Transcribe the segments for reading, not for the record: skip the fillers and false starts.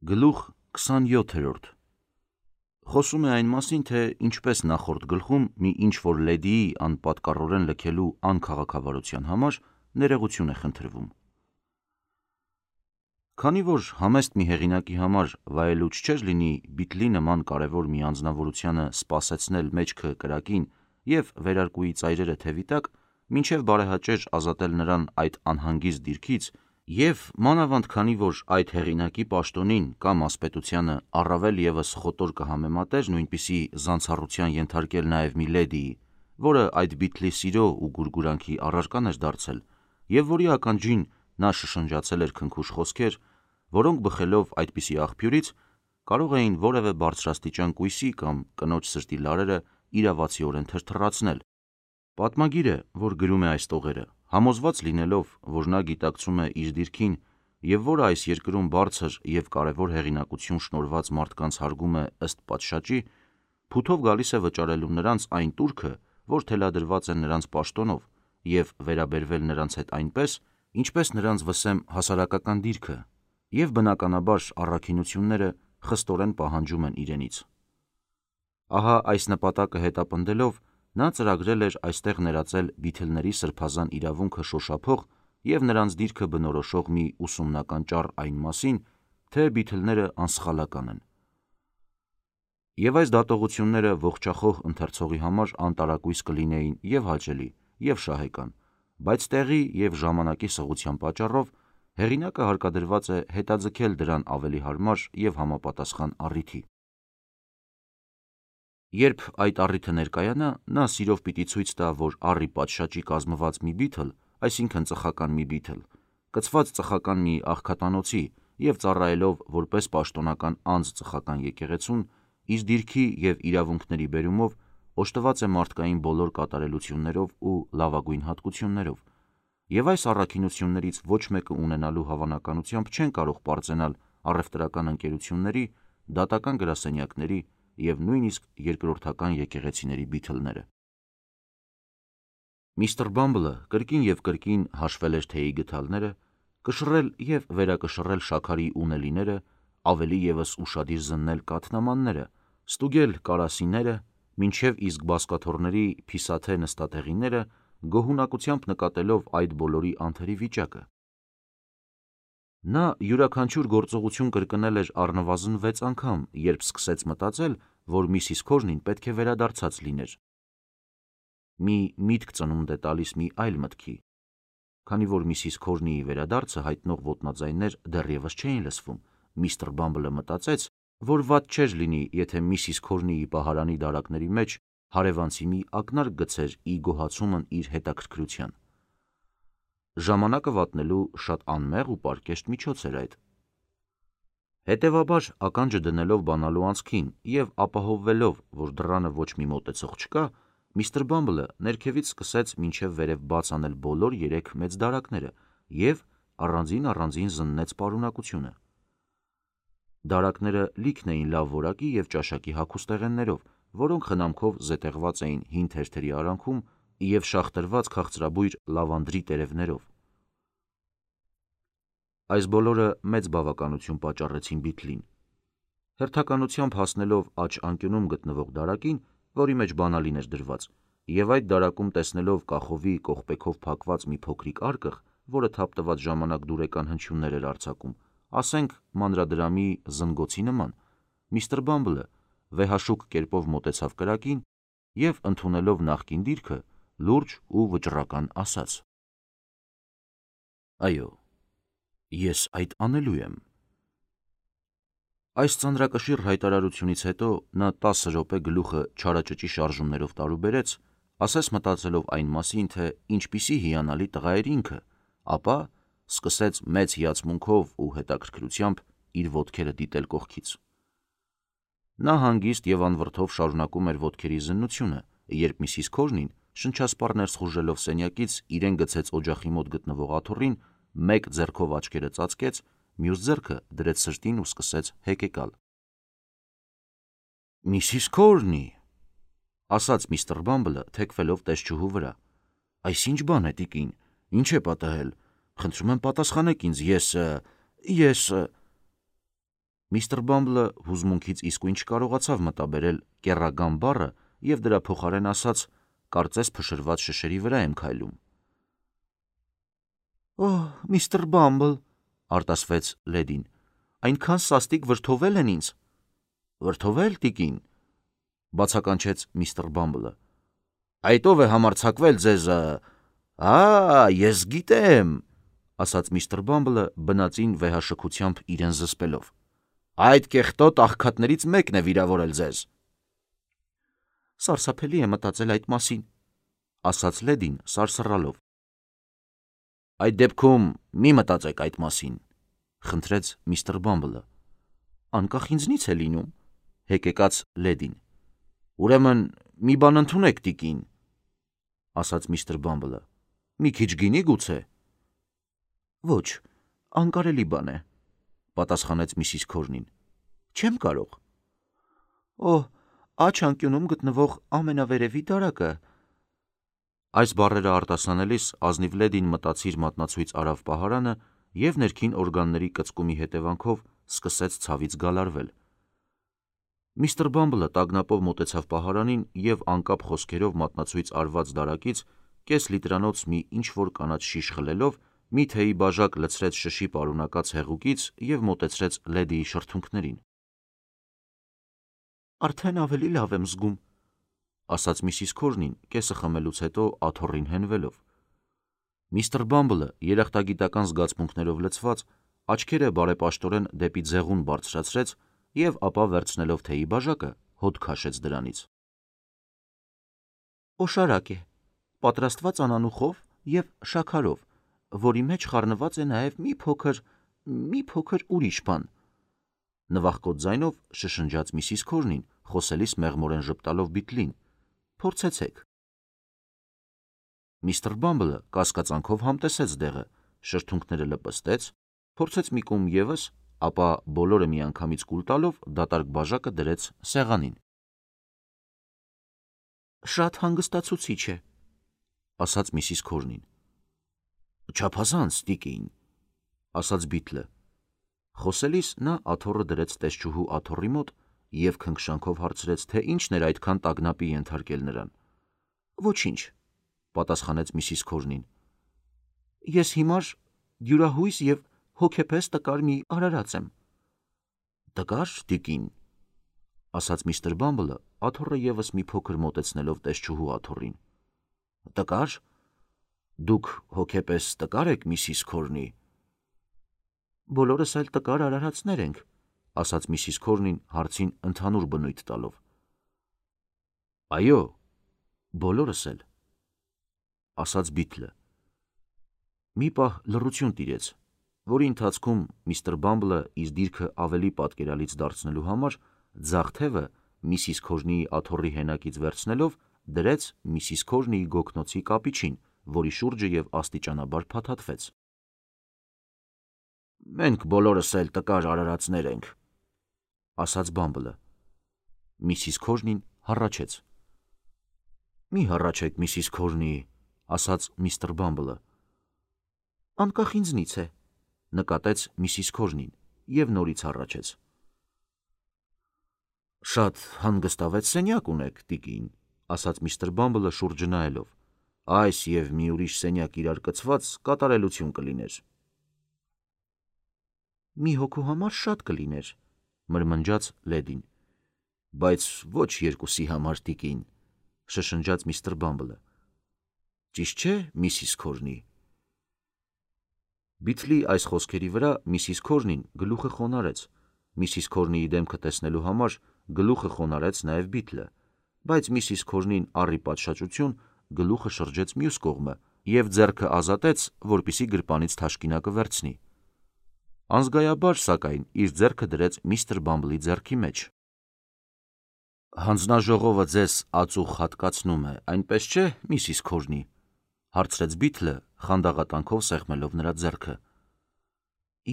Գլուխ 27 Խոսում է այն մասին, թե ինչպես նախորդ գլխում մի ինչ-որ լեդիի անպատկառորեն լքելու անքաղաքավարության համար ներողություն է խնդրվում։ Քանի որ համեստ մի հեղինակի համար վայելուչ չէր լինի Բիթլի նման կարևոր մի անձնավորությանը սպասեցնել մեջքը կրակին և վերարկուի ծայրերը թևի տակ, մինչև բարեհաճեր ազատել նրան այդ անհանգիստ դիրքից, և մանավանդ քանի որ այդ հեղինակի պաշտոնին կամ ասպետությանը առավել ևս խոտոր կհամեմատեր նույնպիսի զանցառության ենթարկել նաև մի լեդիի, որը այդ Բիթլի սիրո ու գուրգուրանքի առարկան էր դարձել, և որի ականջին նա շշնջացել էր քնքուշ խոսքեր, որոնք բխելով այդպիսի աղբյուրից կարող էին որևէ բարձրաստիճան կույսի կամ կնոջ սրտի լարերը իրավացիորեն թրթռացնել։ Պատմագիրը, որ գրում է այս տողերը, համոզված լինելով, որ նա գիտակցում է իր դիրքին և որը այս երկրում բարձր և կարևոր հեղինակություն շնորհված մարդկանց հարգում է ըստ պատշաճի, փութով գալիս է վճարելու նրանց այն տուրքը, որ թելադրված է նրանց պաշտոնով, և վերաբերվել նրանց հետ այնպես, ինչպես նրանց վսեմ հասարակական դիրքը, և բնականաբար առաքինությունները խստորեն պահանջում են իրենից։ Ահա այս նպատակը հետապնդելով նա ծրագրել էր այստեղ ներածել Բիթլների սրբազան իրավունքը շոշափող և նրանց դիրքը բնորոշող մի ուսումնական ճառ այն մասին, թե Բիթլները անսխալական են։ Եվ այս դատողությունները ողջախոհ ընթերցողի համար անտարակույս կլինեին և հաճելի, և շահեկան, բայց տեղի և ժամանակի սղության պատճառով հեղինակը հարկադրված է հետաձգել դրան ավելի հարմար և համապատասխան առիթի։ Երբ այդ առիթը ներկայանա, նա սիրով պիտի ցույց տա, որ առի պատշաճի կազմված մի բիթլ, այսինքն ծխական մի բիթլ, կցված ծխական մի աղքատանոցի և ծառայելով որպես պաշտոնական անձ ծխական եկեղեցուն, իր դիրքի և իրավունքների բերումով օժտված է մարդկային բոլոր կատարելություններով ու լավագույն հատկություններով, և այս առաքինություններից ոչ մեկը ունենալու հավանականությամբ չեն կարող պարծենալ առևտրական ընկերությունների, դատական գրասենյակների և նույնիսկ երկրորդական եկեղեցիների բիթլները։ Միսթր Բամբլը կրկին և կրկին հաշվել էր թեյի գդալները, կշռել և վերակշռել շաքարի ունելիները, ավելի ևս ուշադիր զննել կաթնամանները, ստուգել կարասիները, մինչև իսկ բազկաթոռների փիսաթե նստատեղիները, գոհունակությամբ նկատելով այդ բոլորի անթերի վիճակը։ Նա յուրաքանչյուր գործողություն կրկնել էր առնվազն 6 անգամ, երբ սկսեց մտածել, որ Միսիս Քորնին պետք է վերադարձած լիներ։ Մի միտք ծնունդ է տալիս մի այլ մտքի։ Քանի որ Միսիս Քորնիի վերադարձը հայտնող ոտնաձայններ դեռևս չէին լսվում, Միսթր Բամբլը մտածեց, որ վատ չէր լինի, եթե Միսիս Քորնիի պահարանի դարակների մեջ հարևանցի մի ակնարկ գցեր ի գոհացումն իր հետաքրքրության։ Ժամանակը վատնելու շատ անմեղ ու պարկեշտ միջոց էր այդ։ Հետևաբար, ականջը դնելով բանալու անցքին և ապահովվելով, որ դռանը ոչ մի մոտեցող չկա, Միսթր Բամբլը ներքևից սկսեց մինչև վերև բաց անել բոլոր 3 մեծ դարակները և առանձին զննեց պարունակությունը։ Դարակները լիքն էին լավ որակի և ճաշակի հագուստեղեններով, որոնք խնամքով զետեղված էին հին թերթերի արանքում և շաղտրված քաղցրաբույր լավանդրի տերևներով։ Այս բոլորը մեծ բավականություն պատճառեցին Բիթլին։ Հերթականությամբ հասնելով աջ անկյունում գտնվող դարակին, որի մեջ բանալին էր դրված, և այդ դարակում տեսնելով կախովի կողպեքով փակված մի փոքրիկ արկղ, որը թափ տված ժամանակ դուրեկան հնչյուններ էր արձակում, ասենք մանրադրամի զնգոցի նման, Միսթր Բամբլը վեհաշուկ կերպով մոտեցավ կրակին և, ընդունելով նախկին դիրքը, լուրջ ու վճռական ասաց. «Այո, ես այդ անելու եմ»։ Այս ծանրակշիռ հայտարարությունից հետո նա 10 րոպե գլուխը չարաճճի շարժումներով տարուբերեց, ասես մտածելով այն մասին, թե ինչպիսի հիանալի տղա էր ինքը, ապա սկսեց մեծ հիացմունքով ու հետաքրքրությամբ իր ոտքերը դիտել կողքից։ Նա հանգիստ և անվրդով շարունակում էր ոտքերի զննությունը, երբ Միսիս Քորնին, շնչասպառ ներս խուժելով սենյակից, իրեն գցեց օջախի մոտ գտնվող աթոռին, մեկ ձեռքով աչքերը ծածկեց, մյուս ձեռքը դրեց սրտին ու սկսեց հեկեկալ։ «Միսիս Քորնի», ասաց Միսթր Բամբլը, թեքվելով տեսչուհու վրա, «այս ի՞նչ բան է, տիկին, ի՞նչ է պատահել, խնդրում եմ պատասխանեք ինձ, ես… Միստր Բամբլը հուզմունքից իսկույն չկարողացավ մտաբերել կեռական բառը և դրա փոխարեն ասաց. կարծես փշրված շշերի վրա եմ քայլում։ «Օհ, միստր Բամբլ», արտասվեց լեդին, այնքան սաստիկ վրդովել են ինձ։ «Վրդովել, տիկին», բացականչեց միստր Բամբլը։ «Այդ ով է համարձակվել ձեզ… ես գիտեմ», ասաց միստր Բամբլը բնածին վեհաշքությամբ իրեն զսպելով։ «Այդ կեղտոտ աղքատներից մեկն է վիրավորել ձեզ»։ «Սարսափելի է մտածել այդ մասին», ասաց լեդին սարսռալով։ «Այդ դեպքում մի մտածեք այդ մասին», խնդրեց միստր Բամբլը։ «Անկախ ինձնից է լինում», հեկեկաց լեդին։ «Ուրեմն մի բան ընդունեք, տիկին», ասաց միստր Բամբլը։ «Մի քիչ գինի գուցե»։ «Ոչ, անկարելի բան է», պատասխանեց միսիս Քորնին։ «Չեմ կարող»։ «Օհ, աջ անկյունում գտնվող ամենավերևի դարակը»։ Այս բառերը արտասանելիս ազնիվ լեդին մտածիր մատնացույց արավ պահարանը և ներքին օրգանների կծկումի հետևանքով սկսեց ցավից գալարվել։ Միստր Բամբլը տագնապով մոտեցավ պահարանին և անկապ խոսքերով մատնացույց արված դարակից կես լիտրանոց մի ինչ-որ կանաչ շիշ խլելով մի թեյի բաժակ լցրեց շշի պարունակած հեղուկից և մոտեցրեց լեդիի շրթունքներին։ «Արդեն ավելի լավ եմ զգում», ասաց միսիս Քորնին կեսը խմելուց հետո աթոռին հենվելով։ Միստր Բամբլը երախտագիտական զգացմունքներով լցված աչքերը բարեպաշտորեն դեպի ձեղուն բարձրացրեց և ապա վերցնելով թեյի բաժակը հոտ քաշեց դրանից։ «Օշարակ է, պատրաստված անանուխով և շաքարով, որի մեջ խառնված է նաև մի փոքր ուրիշ բան», նվախկոտ ձայնով շշնջաց միսիս Քորնին, խոսելիս մեղմորեն ժպտալով Բիթլին։ «Փորձեցեք»։ Միստր Բամբլը կասկածանքով համտեսեց դեղը, շրթունքները լպստեց, փորձեց մի կում ևս, ապա բոլորը միանգամից կուլ տալով դատարկ բաժակը դրեց սեղանին։ «Շատ հանգստացուցիչ է», ասաց միսիս Քորնին։ «Չափազանց, տիկին», ասաց Բիթլը։ Խոսելիս նա աթոռը դրեց տեսչուհու աթոռի մոտ և քնքշանքով հարցրեց, թե ինչն էր այդքան տագնապի ենթարկել նրան։ «Ոչինչ», պատասխանեց միսիս Քորնին։ «Ես հիմար դյուրահույս և հոգեպես տկար մի արարած եմ»։ «Տկար, տիկին», ասաց միստր Բամբլը, աթոռը ևս մի փոքր մոտեցնելով տեսչուհու աթոռին։ «Տկար։ Դուք հոգեպես տկար եք, միսիս Քորնի»։ «Բոլորս էլ տկար արարածներ ենք», ասաց միսիս Քորնին հարցին ընդհանուր բնույթ տալով։ «Այո, բոլորս էլ», ասաց Բիթլը։ Մի պահ լռություն տիրեց, որի ընթացքում միստր Բամբլը իր դիրքը ավելի պատկերալից դարձնելու համար ձախ թևը միսիս Քորնիի աթոռի հենակից վերցնելով դրեց միսիս Քորնիի գոգնոցի կապիչին, որի շուրջը և աստիճանաբար փաթաթվեց։ «Մենք բոլորս էլ տկար արարածներ ենք», ասաց Բամբլը։ Միսիս Քորնին հառաչեց։ «Մի հառաչեք, միսիս Քորնի», ասաց միստր Բամբլը։ «Անկախ ինձնից է», նկատեց միսիս Քորնին և նորից հառաչեց։ «Շատ հանգստավետ սենյակ ունեք, տիկին», ասաց միստր Բամբլը շուրջը նայելով։ «Այս և մի ուրիշ սենյակ իրար կցված կատարելություն կլիներ»։ «Մի հոգու համար շատ կլիներ», մրմնջաց լեդին։ «Բայց ոչ երկուսի համար, տիկին», շշնջաց միստր Բամբլը։ «Ճիշտ չէ, միսիս Քորնի»։ Բիթլի այս խոսքերի վրա միսիս Քորնին գլուխը խոնարհեց։ Միսիս Քորնիի դեմքը տեսնելու համար գլուխը խոնարհեց նաև Բիթլը, բայց միսիս Քորնին առի պատշաճություն գլուխը շրջեց մյուս կողմը և ձեռքը ազատեց, որպեսզի գրպանից թաշկինակը վերցնի։ Անզգայաբար, սակայն, իր ձեռքը դրեց միստր Բամբլի ձեռքի մեջ։ «Հանձնաժողովը ձեզ ածուխ հատկացնում է, այնպես չէ, միսիս Քորնի», հարցրեց Բիթլը, խանդաղատանքով սեղմելով նրա ձեռքը։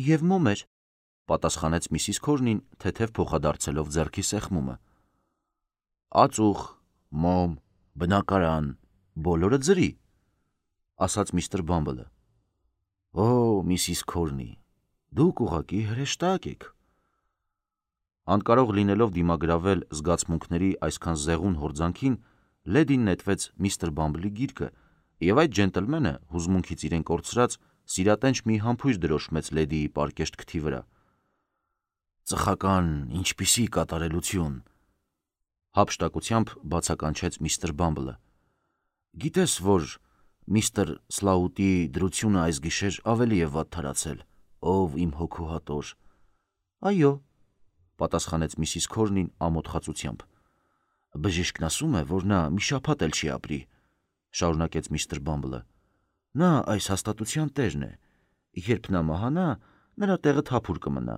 «Եվ մոմ էր», պատասխանեց միսիս Քորնին, թեթև փոխադարձելով ձեռքի սեղմումը։ «Ածուխ, մոմ, բնակարան, բոլորը ձրի», ասաց միստր Բամբլը։ «Օ, միսիս Քորնի, դուք ուղղակի հրեշտակ եք»։ Անկարող լինելով դիմագրավել զգացմունքների այսքան զեղուն հորձանքին, լեդին նետվեց միստր Բամբլի գիրկը, և այդ ջենտլմենը հուզմունքից իրեն կորցրած սիրատենչ մի համբույր դրոշմեց լեդիի պարկեշտ քթի վրա։ «Ծխական, ինչպիսի կատարելություն», հափշտակությամբ բացականչեց միստր Բամբլը։ «Գիտես, որ միստր Սլաուտի դրությունը այս գիշեր ավելի է վատթարացել, ով իմ հոգու հատոր»։ «Այո», պատասխանեց միսիս Քորնին ամոթխածությամբ։ «Բժիշկն ասում է, որ նա մի շաբաթ էլ չի ապրի», շարունակեց միստր Բամբլը։ «Նա այս հաստատության տերն է։ Երբ նա մահանա, նրա տեղը թափուր կմնա։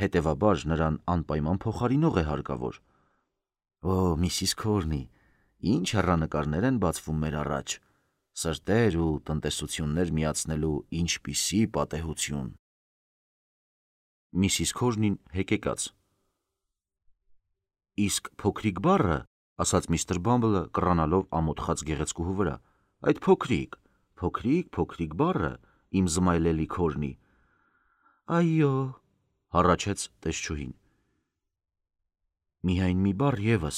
Հետևաբար նրան անպայման փոխարինող է հարկավոր»։ «Օ, միսիս Քորնի, ինչ հեռանկարներ են բացվում մեր առաջ, սրտեր ու տնտեսություններ միացնելու ինչպիսի պատեհություն»։ Միսիս Քորնին հեկեկաց։ «Իսկ փոքրիկ բառը», ասաց միստր Բամբլը, կռանալով ամոթխած գեղեցկուհու վրա, «այդ փոքրիկ բառը, իմ զմայլելի Քորնի»։ «Այո», հառաչեց տեսչուհին։ «Միայն մի բառ ևս»,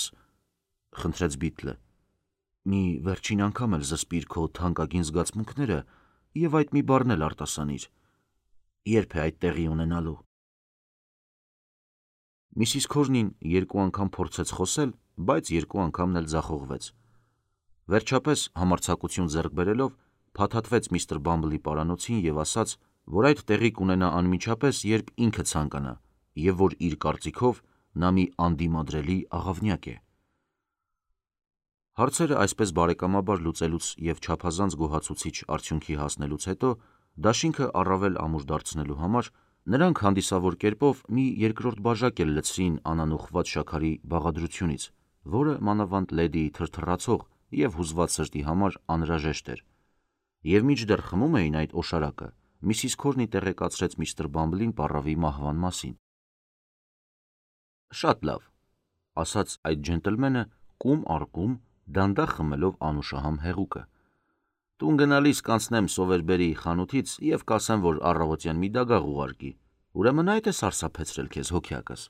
խնդրեց Բիթլը։ «Մի վերջին անգամ էլ զսպիր քո թանկագին զգացմունքները և այդ մի բառն էլ արտասանիր։ Երբ է այդ տեղի ունենալու»։ Միսիս Քորնին երկու անգամ փորձեց խոսել, բայց երկու անգամն էլ ձախողվեց։ Վերջապես, համարձակություն ձեռք բերելով, փաթաթվեց միստր Բամբլի պարանոցին և ասաց, որ այդ տեղի կունենա անմիջապես, երբ ինքը ցանկանա, և որ իր կարծիքով նա մի անդիմադրելի աղավնյակ է։ Հարցերը այսպես բարեկամաբար լուծելուց և չափազանց գոհացուցիչ արդյունքի հասնելուց հետո, դաշինքը առավել ամուր դարձնելու համար, նրանք հանդիսավոր կերպով մի երկրորդ բաժակ էլ լցրին անանուխված շաքարի բաղադրությունից, որը մանավանդ լեդիի թրթռացող և հուզված սրտի համար անհրաժեշտ էր։ Եվ մինչդեռ խմում էին այդ օշարակը, միսիս Քորնի տեղեկացրեց միստր Բամբլին պառավի մահվան մասին։ «Շատ լավ», ասաց այդ ջենտլմենը կում առ կում, դանդաղ խմելով անուշահամ հեղուկը։ «Տուն գնալիս կանցնեմ Սովերբերի խանութից և կասեմ, որ առավոտյան մի դագաղ ուղարկի։ Ուրեմն այդ է սարսափեցրել քեզ, հոգյակս»։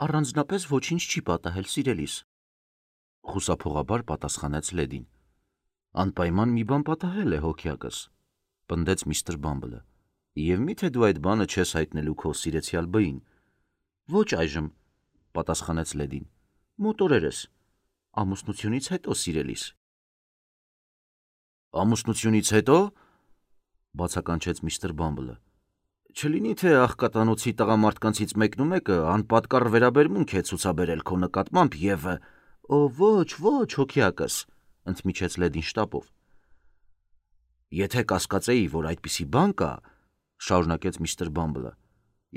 «Առանձնապես ոչինչ չի պատահել, սիրելիս», խուսափողաբար պատասխանեց լեդին։ «Անպայման մի բան պատահել է, հոգյակս», պնդեց միստր Բամբլը։ «Եվ մի՞թե դու այդ բանը չես հայտնելու քո սիրեցյալ բին»։ «Ոչ այժմ», պատասխանեց լեդին։ «Մոտ օրերս, ամուսնությունից հետո, սիրելիս»։ «Ամուսնությունից հետո», բացականչեց միստր Բամբլը։ «Չլինի թե աղքատանոցի տղամարդկանցից մեկնումեկը անպատկառ վերաբերմունք է ցուցաբերել քո նկատմամբ և...» «Օ, ոչ, հոգյակս», ընդմիջեց լեդին շտապով։ «Եթե կասկածեի, որ այդպիսի բան կա», շարունակեց միստր Բամբլը,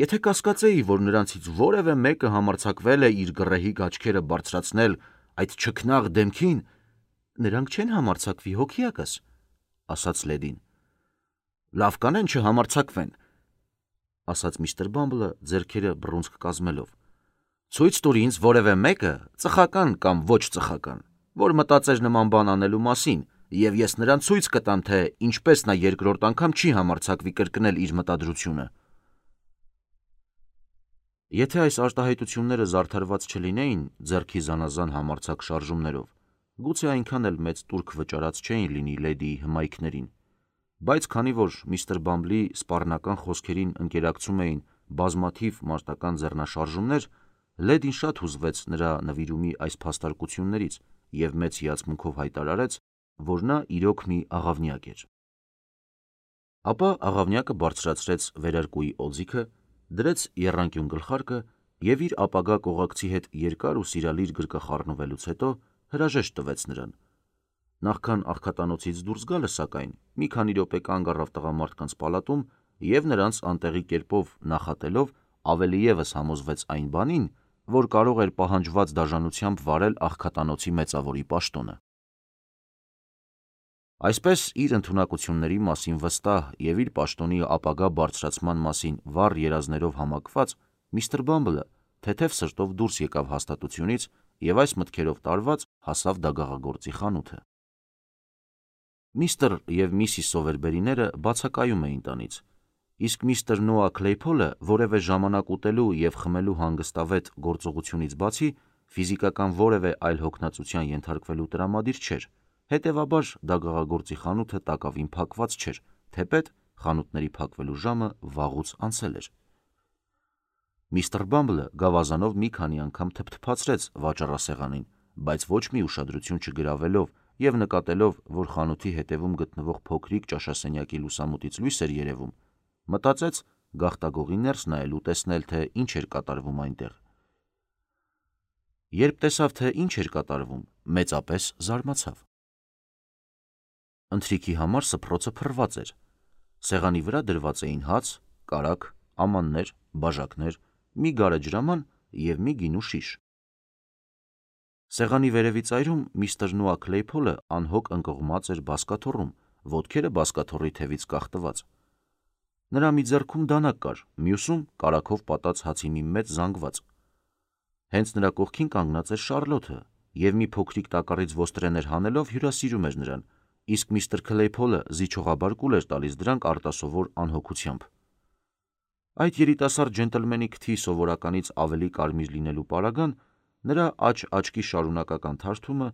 «եթե կասկածեի, որ նրանցից որևէ մեկը համարձակվել է իր գռեհիկ աչքերը բարձրացնել այդ չքնաղ դեմքին...» «Նրանք չեն համարձակվի, հոգյակս», ասաց լեդին։ «Լավ կանեն չհամարձակվեն», ասաց միստր Բամբլը, ձեռքերը բռունցք կազմելով։ «Ցույց տուր ինձ որևէ մեկը, ծխական կամ ոչ ծխական, որ մտածեր նման բան անելու մասին, և ես նրան ցույց կտամ, թե ինչպես նա երկրորդ անգամ չի համարձակվի կրկնել իր մտադրությունը»։ Եթե այս արտահայտությունները զարդարված չլինեին ձեռքի զանազան համարձակ շարժումներով, գուցե այնքան էլ մեծ տուրք վճարած չէին լինի լեդիի հմայքներին, բայց քանի որ միստր Բամբլի սպառնական խոսքերին ընկերակցում էին բազմաթիվ մարտական ձեռնաշարժումներ, լեդին շատ հուզվեց նրա նվիրումի այս փաստարկություններից և մեծ հիացմունքով հայտարարեց, որ նա իրոք մի աղավնյակ էր։ Ապա աղավնյակը բարձրացրեց վերարկուի օձիքը, դրեց եռանկյուն գլխարկը և իր ապագա կողակցի հետ երկար ու սիրալիր գրկախառնվելուց հետո հրաժեշտ տվեց նրան։ Նախքան աղքատանոցից դուրս գալը, սակայն, մի քանի րոպե կանգ առավ տղամարդկանց պալատում և նրանց անտեղի կերպով նախատելով ավելի ևս համոզվեց այն բանին, որ կարող էր պահանջված դաժանությամբ վարել աղքատանոցի մեծավորի պաշտոնը։ Այսպես, իր ընդունակությունների մասին վստահ և իր պաշտոնի ապագա բարձրացման մասին վառ երազներով համակված, միստր Բամբլը թեթև սրտով դուրս եկավ հաստատությունից և այս մտքերով տարված հասավ դագաղագործի խանութը։ Միստր և միսիս Սովերբերիները բացակայում էին տանից։ Իսկ միստր Նոա Քլեյփոլը որևէ ժամանակ ուտելու և խմելու հանգստավետ գործողությունից բացի ֆիզիկական որևէ այլ հոգնածության ենթարկվելու տրամադիր չէր, հետևաբար դագաղագործի խանութը տակավին փակված չէր, թեպետ խանութների փակվելու ժամը վաղուց անցել էր։ Միստր Բամբլը գավազանով մի քանի անգամ թփթփացրեց վաճառասեղանին, բայց ոչ մի ուշադրություն չգրավելով և նկատելով, որ խանութի հետևում գտնվող փոքրիկ ճաշասենյակի լուսամուտից լույս էր երևում, մտածեց գաղտագողի ներս նայել ու տեսնել, թե ինչ էր կատարվում այնտեղ։ Երբ տեսավ, թե ինչ էր կատարվում, մեծապես զարմացավ։ Ընթրիքի համար սփռոցը փռված էր։ Սեղանի վրա դրված էին հաց, կարագ, ամաններ, բաժակներ, մի գարեջրաման և մի գինու շիշ։ Սեղանի վերևի ծայրում միստր Նոա Քլեյփոլը անհոգ ընկղմած էր բազկաթոռում, ոտքերը բազկաթոռի թևից կախտված։ Նրա մի ձեռքում դանակ կար, մյուսում կարագով պատած հացի մի մեծ զանգված։ Հենց նրա կողքին կանգնած էր Շառլոթը և մի փոքրիկ տակառից ոստրեներ հանելով հյուրասիրում էր նրան, իսկ միստր Քլեյփոլը զիջողաբար կուլ էր տալիս դրանք արտասովոր անհոգությամբ։ Այդ երիտասարդ ջենտլմենի քթի սովորականից ավելի կարմիր լինելու պարագան, նրա աջ-աչքի շարունակական թարթումը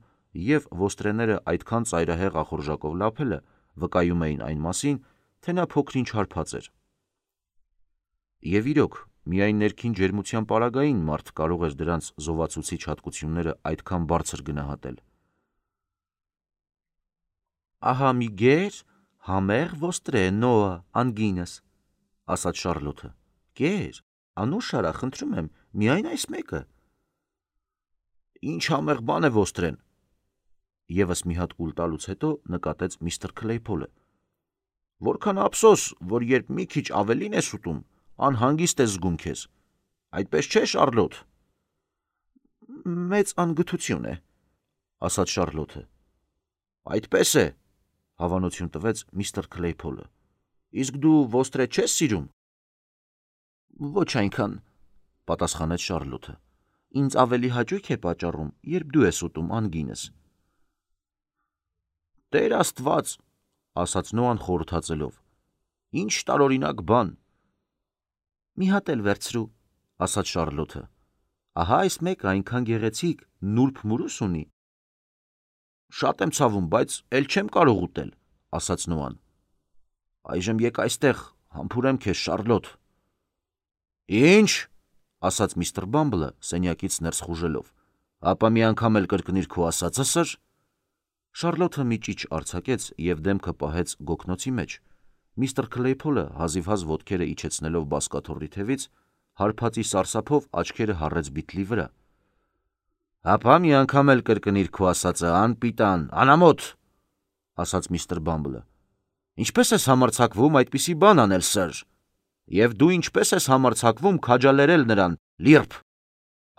և ոստրեները այդքան ծայրահեղ ախորժակով լափելը վկայում էին այն մասին, թե նա փոքր-ինչ հարբած էր։ Եվ իրոք, միայն ներքին ջերմության պարագային մարդ կարող էր դրանց զովացուցիչ հատկությունները այդքան բարձր գնահատել։ «Ահա մի գեր, համեղ ոստրե, Նոա, անգինս», ասաց Շառլոթը։ «Կեր, անուշ արա, խնդրում եմ, միայն այս մեկը»։ «Ինչ համեղ բան է ոստրեն», ևս մի հատ կուլ տալուց հետո նկատեց միստր Քլեյփոլը։ «Որքան ափսոս, որ երբ մի քիչ ավելին ես ուտում, անհանգիստ ես զգում քեզ, այդպես չէ, Շառլոթ»։ «Մեծ անգթություն է», ասաց Շառլոթը։ «Այդպես է», հավանություն տվեց միստր Քլեյփոլը։ «Իսկ դու ոստրե չես սիրում»։ «Ոչ այնքան», պատասխանեց Շառլոթը։ «Ինձ ավելի հաճույք է պատճառում, երբ դու ես ուտում անգինս»։ «Տեր Աստված», ասաց Նոան խորհրդածելով, «ինչ տարօրինակ բան»։ «Մի հատ էլ վերցրու», ասաց Շառլոթը։ «Ահա այս մեկը այնքան գեղեցիկ, նուրբ մուրուս ունի»։ «Շատ եմ ցավում, բայց էլ չեմ կարող ուտել», ասաց Նոան։ «Այժմ եկ այստեղ, համբուրեմ քեզ, Շառլոթ»։ «Ինչ», ասաց միստր Բամբլը սենյակից ներս խուժելով, «ապա մի անգամ էլ կրկնիր քո ասածը, սըր»։ Շառլոթը մի ճիչ արձակեց և դեմքը պահեց գոգնոցի մեջ։ Միստր Քլեյփոլը հազիվհազ ոտքերը իջեցնելով բազկաթոռի թևից, հարբածի սարսափով աչքերը հառեց բիթլի վրա։ «Ապա մի անգամ էլ կրկնիր քո ասածը, անպիտան, անամոթ», ասաց միստր Բամբլը։ «Ինչպես ես համարձակվում այդպիսի բան անել, սըր, և դու ինչպես ես համարձակվում քաջալերել նրան, լիրբ»։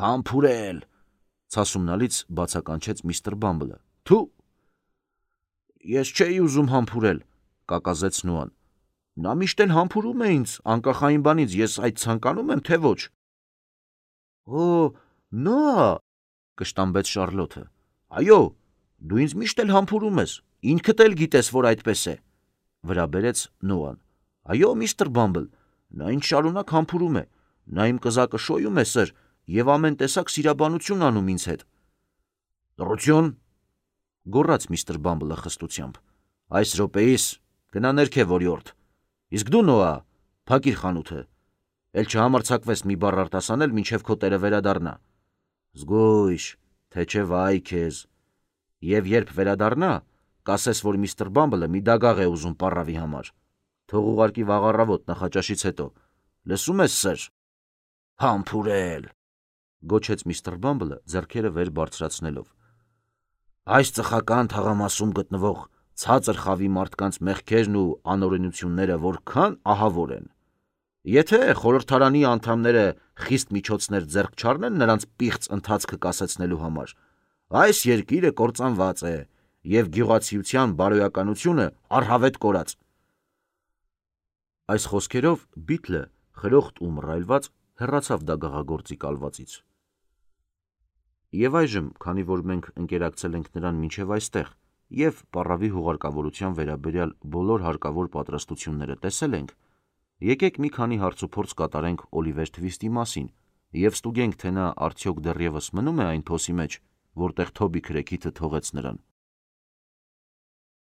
«Համբուրել», ցասումնալից բացականչեց միստր Բամբլը։ «Թու»։ «Ես չէի ուզում համբուրել», կակազեց Նոան։ «Նա միշտ էլ համբուրում է ինձ, անկախ այն բանից, ես այդ ցանկանում եմ, թե ոչ»։ «Օ, Նոա», կշտամբեց Շառլոթը։ «Այո, դու ինձ միշտ էլ համբուրում ես, ինքդ էլ գիտես, որ այդպես է», վրա բերեց Նոան։ «Այո, միստր Բամբլ, նա ինձ շարունակ համբուրում է, նա իմ կզակը շոյում է, սըր, և ամեն տեսակ սիրաբանություն անում ինձ հետ»։ «Լռություն», գոռաց միստր Բամբլը խստությամբ։ «Այս րոպեիս գնա ներքև, օրիորդ։ Իսկ դու, Նոա, փակիր խանութը, էլ չհամարձակվես մի բառ արտասանել, մինչև քո տերը վերադառնա։ Զգույշ, թե չէ վայ քեզ։ Եվ երբ վերադառնա, կասես, որ միստր Բամբլը մի դագաղ է ուզում պառավի համար։ Թող ուղարկի վաղ առավոտ նախաճաշից հետո։ Լսում ես, սըր»։ «Համբուրել», գոչեց միստր Բամբլը ձեռքերը վեր բարձրացնելով։ «Այս ծխական թաղամասում գտնվող ցածր խավի մարդկանց մեղքերն ու անօրենությունները որքան ահավոր են։ Եթե խորհրդարանի անդամները խիստ միջոցներ ձեռք չառնեն նրանց պիղծ ընթացքը կասեցնելու համար, այս երկիրը կործանված է և գյուղացիության բարոյականությունը առհավետ կորած»։ Այս խոսքերով Բիթլը խրոխտ ու մռայլված հեռացավ դագաղագործի կալվածից։ Եվ այժմ, քանի որ մենք ընկերակցել ենք նրան մինչև այստեղ և պառավի հուղարկավորության վերաբերյալ բոլոր հարկավոր պատրաստությունները տեսել ենք, Եկեք մի քանի հարցուփորձ կատարենք Օլիվեր Թվիստի մասին և ստուգենք, թե նա արդյոք դեռևս մնում է այն փոսի մեջ, որտեղ Թոբի Քրեքիթը թողեց նրան։